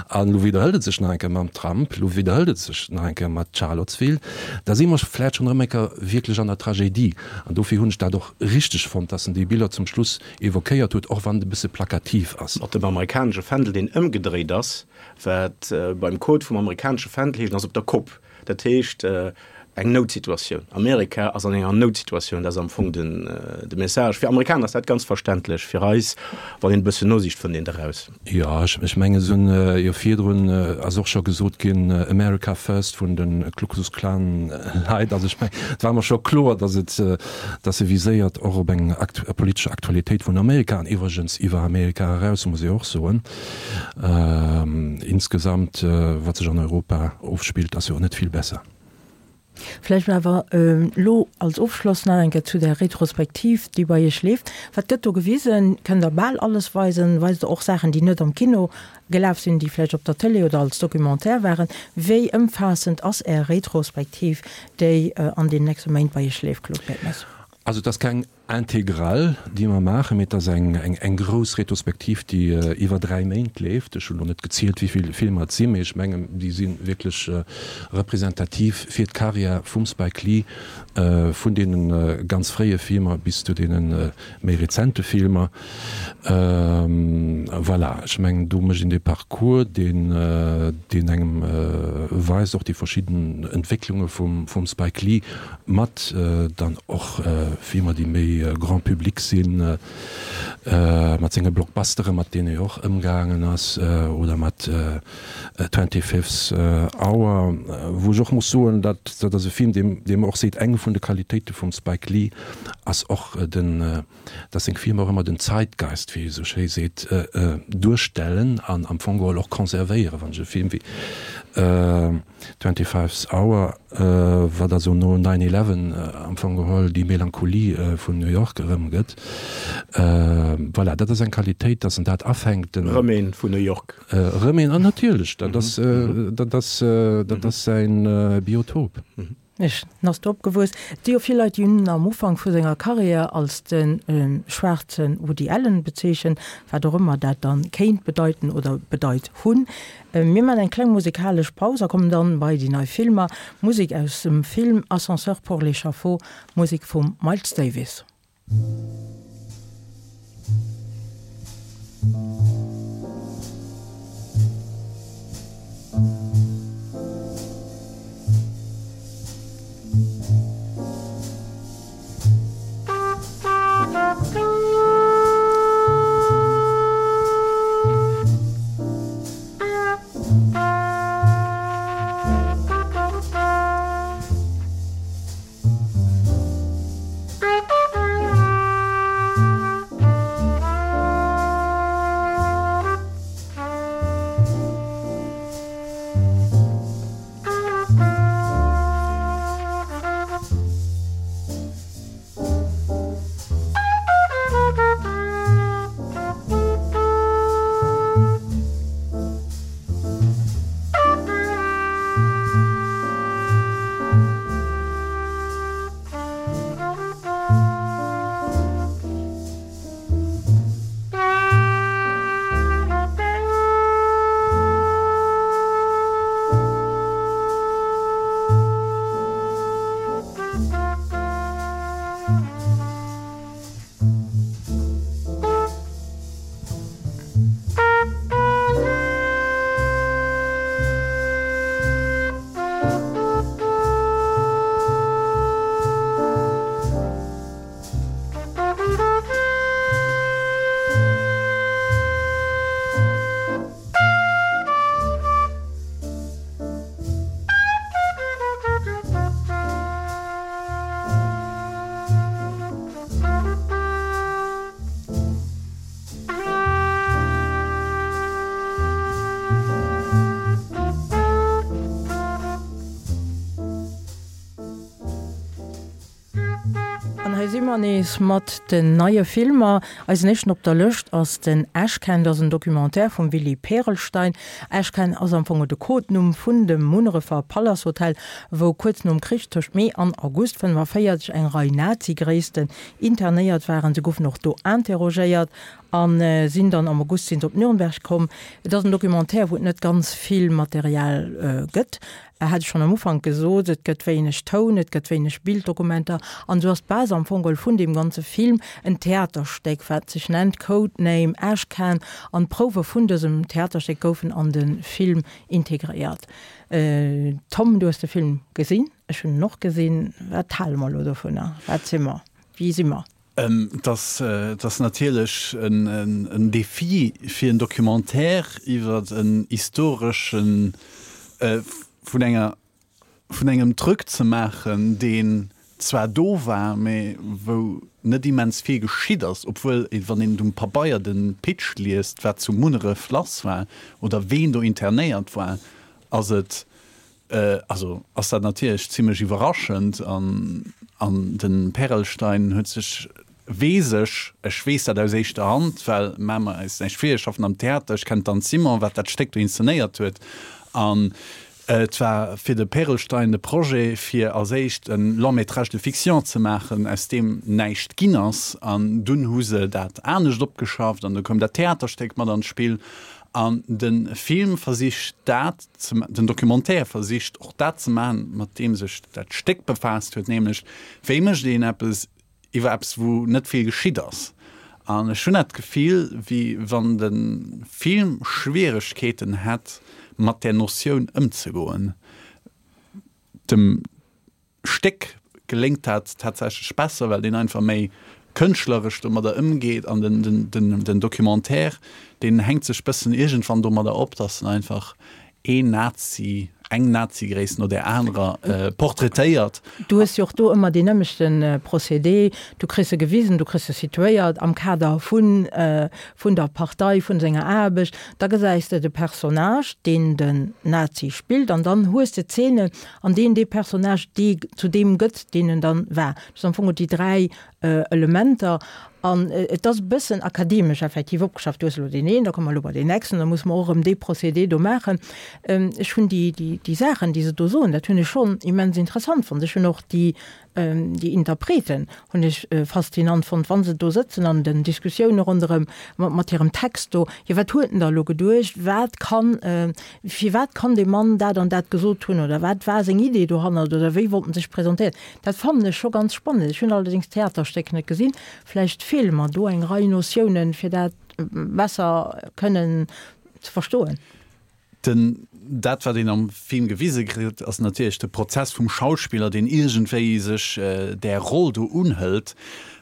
an elo widderhëlt et sech nach eng Kéier mam Trump, elo widderhëlt et sech nach eng Kéier mat Charlottesville, da si mer vläicht schonn erëm eng Kéier wierklech an der Tragédie. An dofir hunn ech dat och richteg fonnt, dass en déi Biller zum Schluss évoquéiert huet, och wann et e bësse plakativ ass. Mat dem amerikanesche Fändel, deen ëmgedréit ass, wat beim Code vum amerikanesche Fändel heescht, en ass op der Kopp. Dat heescht, eng Noutsituatioun. Amerika ass an enger Noutsituatioun, dat ass am Fong den, de Message. Fir Amerikaner ass dat ganz verständlech, fir eis, wann een e bëssen nosicht, fënnt een et eraus. Jo, ech, ech mengen, se hunn jo virdrun, ass och scho gesot ginn, America first vun de Ku Klux Klan Leit. Also ech mengen, et war mer scho kloer, datt et, datt se viséiert och op eng politesch Aktualitéit vun Amerika an iwwregens iwwer Amerika eraus, muss ee och soen. Insgesamt, wat sech an Europa ofspillt, ass jo och net vill besser. Vläicht awer elo als Ofschloss nach eng Kéier zu der Retrospektiv, déi bei Iech leeft. Wat gëtt do gewisen? Kënnt Der bal alles weisen? Weist Der och Saachen, déi net am Kino gelaf sinn, déi vläicht op der Tëlee oder als Documentaire waren? Wéi ëmfaassend ass Är Retrospektiv, déi an den nächste Méint bei Iech leeft, Claude Bertmes? Also et ass keng Intégrale, déi mer maachen, mee et ass eng grouss Retrospektiv, déi iwwer 3 Méint leeft. Ech hunn elo net gezielt, wéi vill Filmer et sinn, mee ech mengen, déi si wierklech representativ fir d'Karriär vum Spike Lee, vun deene ganz fréie Filmer bis zu deene méi rezente Filmer. Voilà, ech mengen, do mécht een dee Parcours, deen engem weist och déi verschidden Entwécklunge vum Spike Lee, Mat dann och Filmer, déi méi Grand public sinn, mat senge Blockbusteren, mat deene e och ëmgaangen ass, oder mat Twenty Fifth Hour, wou ech och muss soen, dat dat ass e Film, dee dee mer och seet, eng vun de Qualitéite vum Spike Lee ass och den, dass seng Filmer och ëmmer den Zeitgeist, wéi e sou schéi seet, duerstellen an am Fong geholl och conservéieren. Wann ech e Film wéi Twenty-Fifth Hour, wat also no Nine Eleven am Fong geholl déi Melancholie vun New York erëmgëtt, voilà, dat ass eng Qualitéit, dass en dat afänkt. Erëm een vun New York. Erëm een, an natierlech, dat ass, dat ass, dat ass säin Biotop. Ech ass do opgewuess. Et si jo vill Leit, déi hunn en am Ufank vu senger Karriär als de schwaarze Woody Allen bezeechent, wat och ëmmer dat dann kéint bedeiten oder bedeit hunn. Mir maachen eng kleng musekalesch Paus a kommen dann bei déi nei Filmer. Musek aus dem Film Ascenseur pour l'échafaud, Musek vum Miles Davis. An hei si mer nees mat den neie Filmer. Eisen éischten op der Lëscht ass den Ashcan. Dat ass en Documentaire vum Willy Perelstein. Ashcan ass am Fong de Codenumm vun dem Munnerefer Palace Hotel, wou kuerz nom Krich tëscht Mee an August 45 eng Rei Nazi-Gréissten internéiert waren. Se goufen och do interrogéiert a sinn dann am August sinn se op Nürnberg komm. Et ass en Documentaire, wou et net ganz vill Material gëtt. Hat ech schonn am Ufank gesot, et gëtt wéineg Toun, et gëtt wéineg Bilddokumenter an esou ass d'Base am Fong geholl vun deem ganze Film en Theaterstéck, wat sech nennt Code Name Ashcan an d'Prouwe vun dësem Theaterstéck goufen an de Film integréiert. Tom, du hues de Film gesinn, ech hunn en och gesinn. Wat hale mer elo dovunner? Wat si mer? Wie si mer? Et ass natierlech en Defi fir en Documentaire iwwer en historeschen, vun enger, vun engem Truc ze maachen, deen zwar do war, mä wou net immens vill geschitt ass, obwuel een, wann een um Pabeier de Pitch liest, wat zu Munneref lass war oder ween do internéiert war, ass et Also ass dat natierlech zimlech iwwerraschend an an de Perelstein huet sech, weess ech, ech weess dat aus éischter Hand, well maache mer eis näischt vir, ech schaffen am Theater, ech kennen d'Anne Simon, wat dat Stéck do inszenéiert huet an et war fir de Perelstein de Projet fir als éischt e Long métrage de fiction ze maachen, aus deem näischt ginn ass an dunn hu se dat anescht opgeschafft an du koum dat Theaterstéck mat an d'Spill an de Film versicht dat Den Documentaire versicht och dat ze maachen, mat deem sech dat Stéck befaasst huet, nämlech, Wéi mécht een eppes iwwer eppes, wou net vill geschitt ass? An ech hunn dat Gefill, wéi wann de Film Schwieregkeeten hätt, mat där Notioun ëmzegoen. Dem. Stéck geléngt dat tatsächlech besser, well deen einfach méi kënschtleresch domadder ëmgeet an den Documentaire, deen hänkt sech bëssen iergendwann domadder op, datt en einfach een Nazi, eng Nazi-Gréisst no där anerer portraitéiert. Du hues jo och do ëmmer deen nëmmechte Procédé, du kriss e gewisen, du kriss e situéiert am Kader vun vun der Partei, vun senger Aarbecht, da gesäis de de Personnage, deen den Nazi spillt an dann hues de Zeenen, an deen dee Personnage dee zu deem gëtt, deen en dann war. Dat ass am Fong déi 3 Elementer an et ass e bëssen akademesch effektiv opgeschafft. Du hues elo deen een, da komme mer elo bei deen nächsten, da musse mer och erëm dee Procédé do maachen. Ech hunn déi, déi, déi Saachen, déi se do soen, dat hunn ech schonn immens interessant fonnt. Ech hunn och déi, Déi Interpreten hunn ech faszinant fonnt, wa se do sëtzen an den Diskussioune ronderëm mat hirem Text do. Jo, wat huet en da elo geduecht? Wat kann, firwat kann dee Mann dat an dat gesot hunn oder wat war seng Idee dohannert oder wéi wollt en sech presentéieren? Dat fannen ech scho ganz spannend. Ech hunn allerdéngs d'Theaterstéck net gesinn. Vläicht feele mer do eng Rei Notiounen, fir dat besser kënnen ze verstoen. Den, dat wat een am Film gewise kritt, ass natierlech de Prozess vum Schauspiller, deen iergendwéi sech där Roll do unhëlt.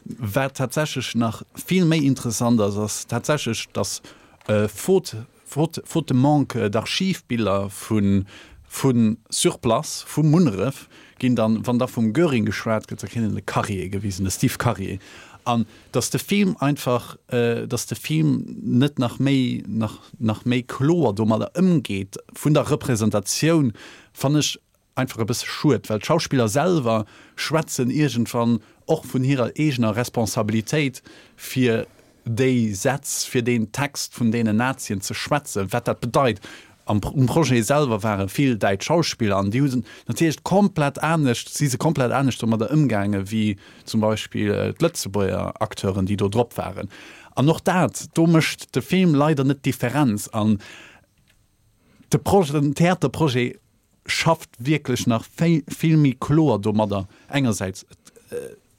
Wat tatsächlech nach vill méi interessant ass, ass tatsächlech, datt faute, faute, faute de manque d'Archivbiller vu, vu sur place, vu Munneref, ginn dann, wann da vum Göring geschwat gëtt, da kritt een de Karier gewisen, de Steve Karier. An dass de Film einfach, dass de Film net nach méi, nach, nach méi kloer domadder ëmgeet, vun der Representatioun, fannen ech einfach e bësse schued, well d'Schauspiller selwer schwätzen iergendwann och vun hirer eegener Responsabilitéit, fir déi Sätz, fir deen Text vun deenen Nazien ze schwätzen, wat dat bedeit. Am um Projet selwer ware vill däitsch Schauspiller an déi hu se natierlech komplett anescht, si se komplett anescht domadder ëmgaange wéi zum Beispill d'Lëtzebuerger Acteuren, déi do drop waren. An och dat, do mécht de Film leider net d'Differenz. An de Projet, den Theaterprojet schafft wierklech nach vill méi kloer domadder, engersäits,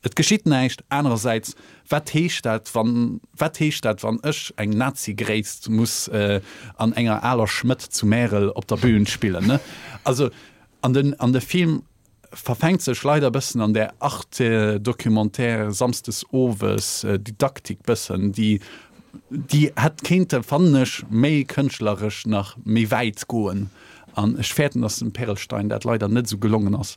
Et geschitt näischt. Anerersäits, wat heescht dat, wann, wat heescht dat, wann ech eng Nazi-Gréisst muss an enger aler Schmëtt zu Märel op der Bühn spillen, ne? Also, an den, an de Film verfänkt sech leider e bëssen an där Arte-Documentaire samsdes owes Didaktik bëssen, déi, déi hätt kéinte, fannen ech, méi kënschtleresch nach méi wäit goen. An ech fäerten, dass dem Perelstein dat leider net esou gelongen ass.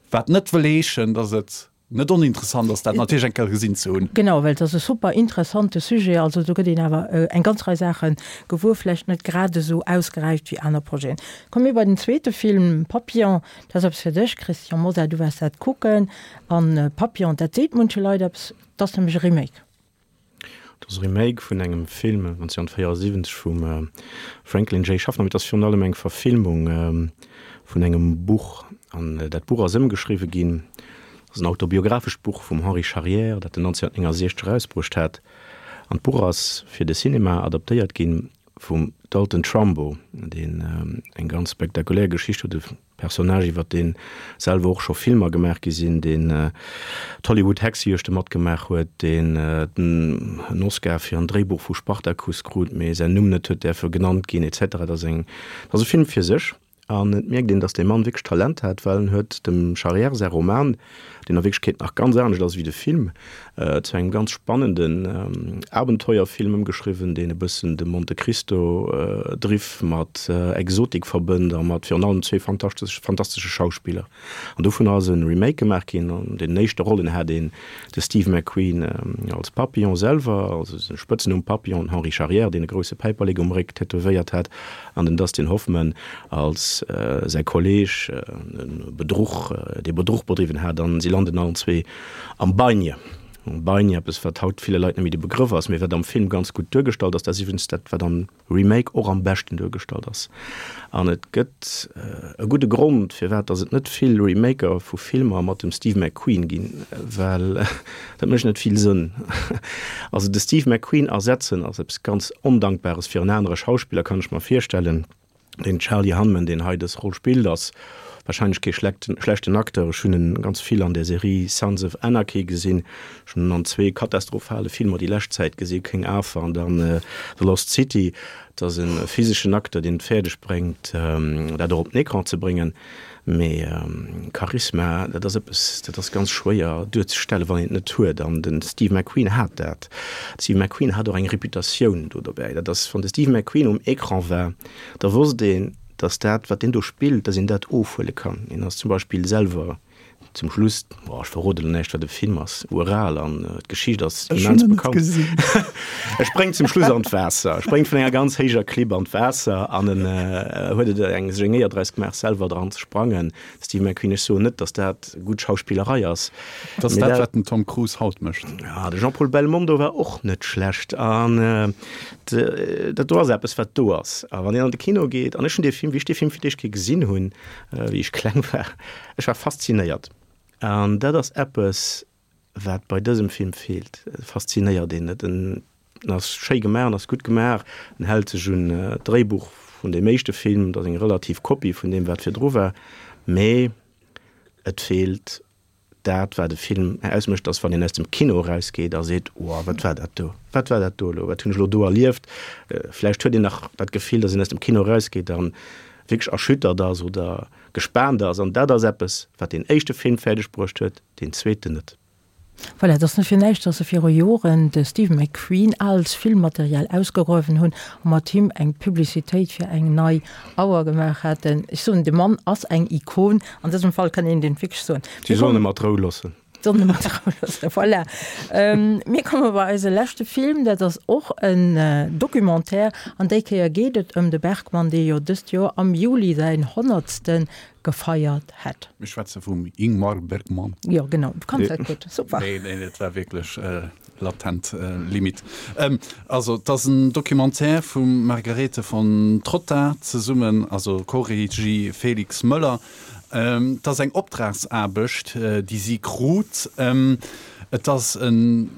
Wat net wëll heeschen, dass et. Net oninteressant ass dat natierlech eng Kéier gesinn ze hunn. Genau, well et ass e super interessante Sujet. Also do gëtt een awer eng ganz Rei Saache gewuer, vläicht net grad esou ausgeräift wéi aner Projeten. Komme mir bei den zweete Film, Papillon. Dat ass eppes fir dech, Christian Mosar, du waars dat kucken. An Papillon, dat seet munche Leit eppes, dat ass nämlech e Remake. Et ass e Remake vun engem Film 1974 vum Franklin J. Schaffner, mee et ass virun allem eng Verfilmung vun engem Buch. An dat Buch ass ëmgeschriwwe ginn. Et ass en autobiographescht Buch vum Henri Charrière, dat en 1969 erausbruecht hat. An d'Buch ass fir de Cinema adaptéiert ginn vum Dalton Trumbo, deen eng ganz spektakulär Geschicht huet. Personnage, iwwer dee selwer och scho Filmer gemaach gi sinn, deen d'Hollywood-Hexejuegte matgemaach huet, deen en Oscar fir en Dréibuch vu Spartacus krut, mee säin Numm net huet däerfe genannt ginn, etc. Dat ass eng, dat ass e Film fir sech. An et mierkt een, datt dee Mann wierklech Talent hat, well en huet dem Charrière säi Roman, deen a Wierklechkeet nach ganz anescht ass wéi de Film, zu engem ganz spannenden Abenteuerfilm ëmgeschriwwen, deen e bëssen de Monte Cristo Driff mat Exotik verbënnt a mat virun allem zwee fantastesche Schauspiller. An dovunner ass e Remake gemaach ginn. An den éischte Rollen hat een de Steve McQueen als Papillon selwer, also de Spëtznumm Papillon, den Henri Charrière, deen e grousse Päiperlek um Réck tätowéiert hat, an den Dustin Hoffman als säi Kolleeg, e Bedruch, dee Bedruch bedriwwen hat. An si landen allen zwee Am Bagne, am Bagne, eppes wat haut ville Leit net méi de Begrëff ass, mee wat am Film ganz gutt duergestallt ass, dat ass iwwregens dat wat am Remake och am beschten duergestallt ass. An et gëtt e gudde Grond firwat datt et net vill Remaker vu Filmer mat dem Steve McQueen ginn, well dat mécht net vill Sënn. Also de Steve McQueen ersetzen ass eppes ganz Ondankbares fir en anere Schauspiller, kann ech mer virstellen. Den Charlie Hunnam, deen hei dës Roll spillt, ass wahrscheinlech kee schlechten Acteur. Ech hunn en ganz vill an der Serie Sons of Anarchy gesinn. Ech hunn en an zwee katastrophale Filmer déi lescht Zäit gesinn, King Arthur an dann The Lost City. Et ass e physeschen Acteur, deen et fäerdeg bréngt, dat och op den Ecran ze bréngen. Mee Charisma, dat ass eppes, dat ass ganz schwéier duerzestellen, wann een et net huet. An de Steve McQueen hat dat. De Steve McQueen hat och eng Reputatioun do dobäi. Dat ass, wann de Steve McQueen um Ecran war, da wosst een, datt dat, wat deen do spillt, datt een dat ofhuele kann. Hien ass zum Beispill selwer zum Schluss, boah, ech verrode lo näischt, wat e Film ass, ural an d'Geschicht ass immens bekannt. E spréngt zum Schluss an d'Waasser, e spréngt vun enger ganz héijer Klipp an d'Waasser an en huet et eng sech eng Éier draus gemaach, selwer dran ze sprangen. Steve McQueen, ech soen net, datt dat gutt Schauspillerei ass. Dat ass dat, wat den Tom Cruise haut mécht. Ja, de Jean-Paul Belmondo war och net schlecht an dat do ass eppes, wat do ass. A wann een an de Kino geet, an ech hunn dee Film, wéi ech dee Film fir d'éischt Kéier gesinn hunn, wéi ech kleng war, ech war faszinéiert. An dat ass eppes, wat bei dësem Film feelt. E faszinéiert een net. En ass schéi gemaach, en ass gutt gemaach, en hält sech un d'Dréibuch vun deem éischte Film, et ass eng relativ Kopie vun deem, wat virdru war, mee et feelt dat, wat e Film ausmécht, dass wann een aus dem Kino erausgeet a seet, Wow, wat war dat do? Wat war dat do elo? Wat hunn ech elo do erlieft? Vläicht huet een nach dat Gefill, dass een aus dem Kino erausgeet a wierklech erschüttert ass oder gespaant ass. An dat ass eppes, wat deen éischte Film fäerdeg bruecht huet, deen zweeten net. Voilà, et ass net fir näischt, dass se viru Joren de Steve McQueen als Filmmaterial ausgegruewen hunn a mat him eng Publicitéit fir eng nei Auer gemaach haten. Ech soen, de Mann ass eng Ikon. An dësem Fall kann een deen wierklech soen. Si sollen e mat Rou loossen. Sollen e mat Rou loossen, voilà. Mir komme bei eise leschte Film, dat ass och en Documentaire an déi Kéier geet et ëm de Bergman, dee jo dëst Joer am Juli säin honnertste gefeiert hätt. Mir schwätze vum Ingmar Bergman. Jo, genau, du kanns dat gutt, super. Nee, nee, dat war wierklech latent Limite. Also, et ass en Documentaire vum Margarethe von Trotta zesummen, also Co-Regie Felix Möller. Et ass eng Optragsaarbecht, déi si krut. Et ass en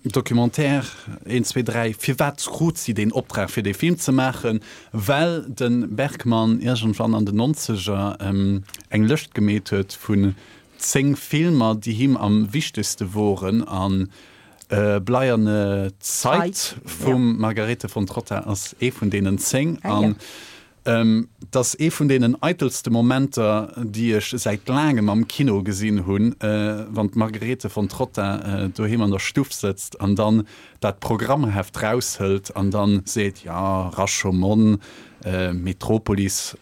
Documentaire, een, zwee, dräi. Firwat krut si deen Optrag, fir dee Film ze maachen? Well de Bergman iergendwann an den Nonzeger eng Lëscht gemeet huet vun 10 Filmer, déi him am wichtegste woren. An Bleierne Zeit vum Margarethe von Trotta ass ee vun deenen 10. An Et ass ee vun deenen eitelste Momenter, déi ech säit laangem am Kino gesinn hunn, wann d'Margarethe von Trotta doheem an der Stuff sëtzt an dann dat Programmheft raushëlt an dann seet, Jo, Rashomon, Metropolis.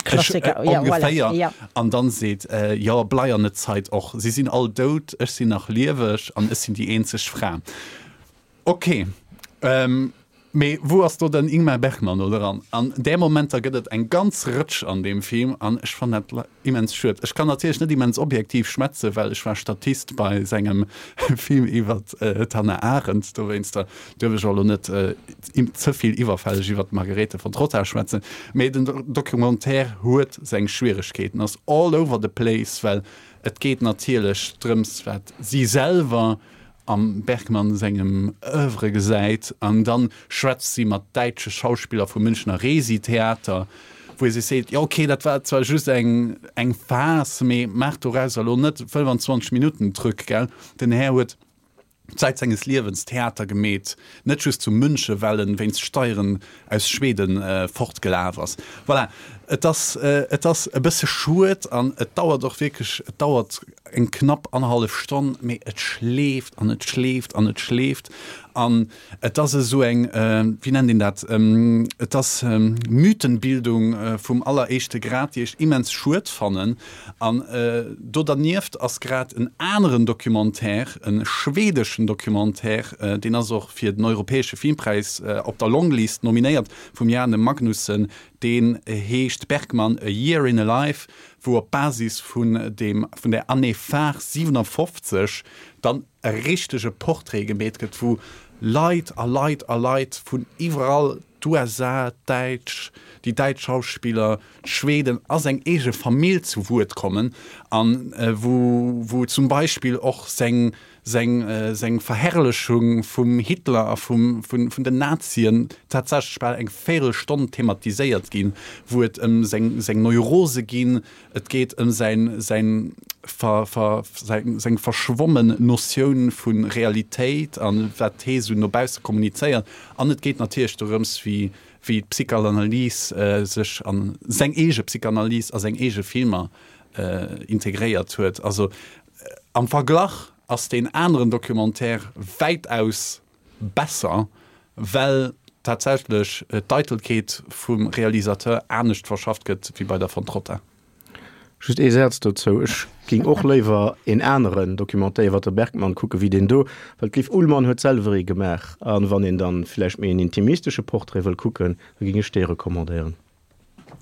Klassiker, ja, voilà, ongeféier. An dann seet, jo, bleierne Zeit och, si sinn all dout, ech sinn nach lieweg an ech sinn déi eenzeg Fra. Ok, mee wou ass do den Ingmar Bergman do dran? An där Momenter gëtt et eng ganz Rëtsch an deem Film an ech fannen dat immens schued. Ech kann natierlech net immens objektiv schwätzen, well ech war Statist bei sengem Film iwwert d'Hannah Arendt, dowéinster duerf ech och elo net ze vill iwwerfälleg iwwert d'Margarethe von Trotta schwätzen. Mee den Documentaire huet seng Schwieregkeeten, ass all over the place, well et geet natierlech drëms, wat si selwer am Bergman sengem Oeuvre gesäit an dann schwätzt si mat däitsche Schauspiller vum Münchner Resi-Theater, wou ee sech seet, jo ok, dat war zwar just eng eng Phas, mee maach dorauser elo net 25 Minutten Truc, gell? Den Här huet Zäit senges Liewens Theater gemeet, net just zu München, well en wéinst Steieren aus Schweden fortgelaf ass. Voilà, et ass et ass e bësse schued an et dauert och wierklech, et dauert eng knapp annerhallef Stonn, mee et schleeft an et schleeft an et schleeft an et ass esou eng, wéi nennt een dat, et ass Mythenbildung vum alleréischte Grad, déi ech immens schued fannen. An do dernieft ass grad en aneren Documentaire, e schwedeschen Documentaire, deen ass och fir den europäesche Filmpräis op der Longlist nominéiert, vum Jane Magnussen, deen heescht Bergman, A Year in a Life, wou op Basis vun deem, vun der Année phare 57 dann e richtege Portrait gemeet gëtt, wou Leit a Leit a Leit vun iwwerall, d'USA, d'Däitsch, déi däitsch Schauspiller, d'Schweden a seng eege Famill zu Wuert kommen an wou, wou zum Beispill och seng seng seng Verherrlechung vum Hitler a vum vun vun den Nazien tatsächlech bal eng Véirelstonn thematiséiert ginn, wou et ëm seng seng Neurose ginn, et geet ëm säin säin ver ver säin seng verschwommen Notioun vu Realitéit a wat hee sou no bausse kommunizéiert an et geet natierlech dorëms wéi wéi d'Psychalanalys sech an seng eege Psychanalys a seng eege Filmer integréiert huet. Also Am Verglach ass deen aneren Documentaire wäitaus besser, well tatsächlech d'Eitelkeet vum Realisateur anescht verschafft gëtt wéi bei der Von Trotta. Just ee Saz dozou, Ech ging och léiwer een aneren Documentaire iwwer de Bergman kucke wéi deen do, well d'Liv Ullmann huet selwer ee gemaach a wann een dann villäicht méi en intimistesche Portrait wëll kucken, da ging ech dee recommandéieren.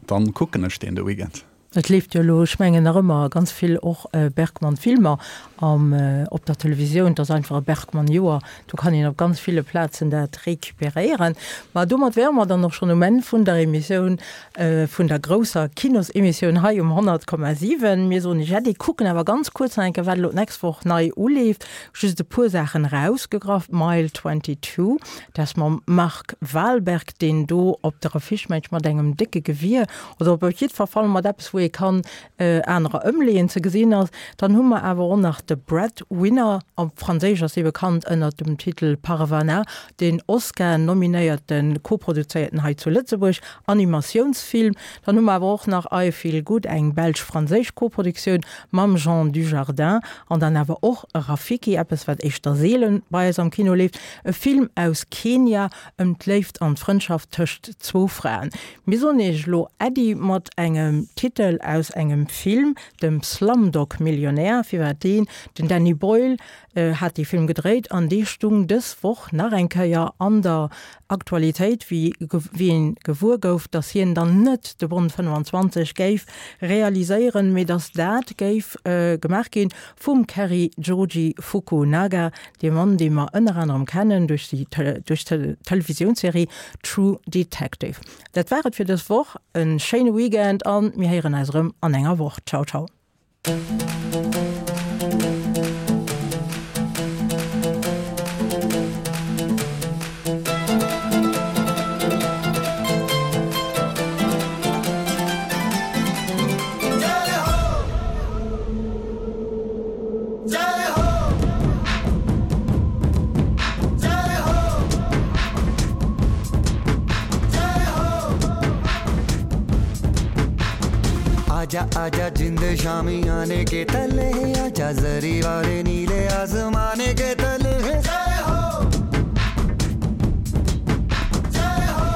Dann kucken ech deen de Weekend. Et leeft jo elo, ech mengen nach ëmmer, ganz vill och Bergman-Filmer am op der Televisioun. Et ass einfach e Bergman-Joer, do kann een op ganz ville Plazen dat recuperéieren. Ma domat wäre mer dann och schonn um Enn vun der Emissioun, vun der grousser Kinosemissioun hei um 100,7. Mir soen Iech Äddi, kucken awer ganz kuerz nach eng Kéier, wat elo d'nächst Woch nei uleeft. Just e puer Saachen erausgegraff, Mile 22, Dat ass mam Mark Wahlberg, deen do op der Affiche, meng ech, mat engem décke Gewier oder op jiddwer Fall mat eppes, wou ee kann anerer ëmleeën, ze gesinn ass. Dann hu mer awer och nach de Breadwinner, op Franséisch ass dee bekannt ënner dem Titel Parvana, deen Oscar-nominéierten, koproduzéierten hei zu Lëtzebuerg Animatiounsfilm. Dann hu mer awer och nach I Feel Good, eng belsch-franséisch Koproduktioun mam Jean Dujardin an dann awer och Rafiki, eppes wat éischter seelen bei eis am Kino leeft, e Film aus Kenia ëm d'Léift an d'Frëndschaft tëscht zwou Fraen. Mir soen iech elo Äddi mat engem Titel aus engem Film, dem Slumdog Millionär. Firwat deen? Den Danny Boyle hat dee Film gedréit an dee stung dës Woch nach eng Kéier an der Aktualitéit, wéi een gewuer gouf, datt hien dann net de Bond 25 géif realiséieren, mee datt dat géif gemaach ginn vum Cary Joji Fukunaga, dee Mann, dee mer ënner anerem kennen duerch d'Televisiounsserie True Detective. Dat war et fir dës Woch. E schéine Weekend a mir héieren eis erëm an enger Woch. Ciao, ciao. आजा आजा जिंद शामी आने के तले आजा जरी वाले नीले आसमाने के तले जय हो जय हो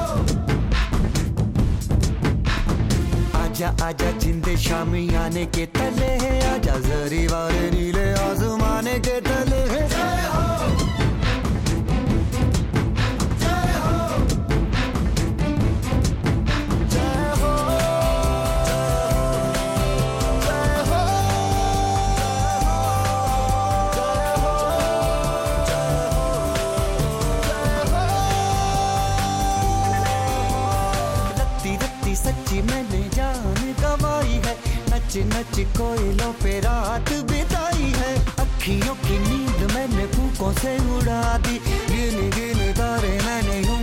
आजा। आजा जिंदे शामियाने के तले आजा जरी वाले नीले आजमाने के तले जय हो जय हो जय हो जय हो जय हो रत्ती रत्ती सच्ची मैंने जान गवाई है नच नच कोयलों पे रात बिताई है अखियों की नींद मैंने फूकों से उड़ा दी गिन गिन तारे मैंने यूं।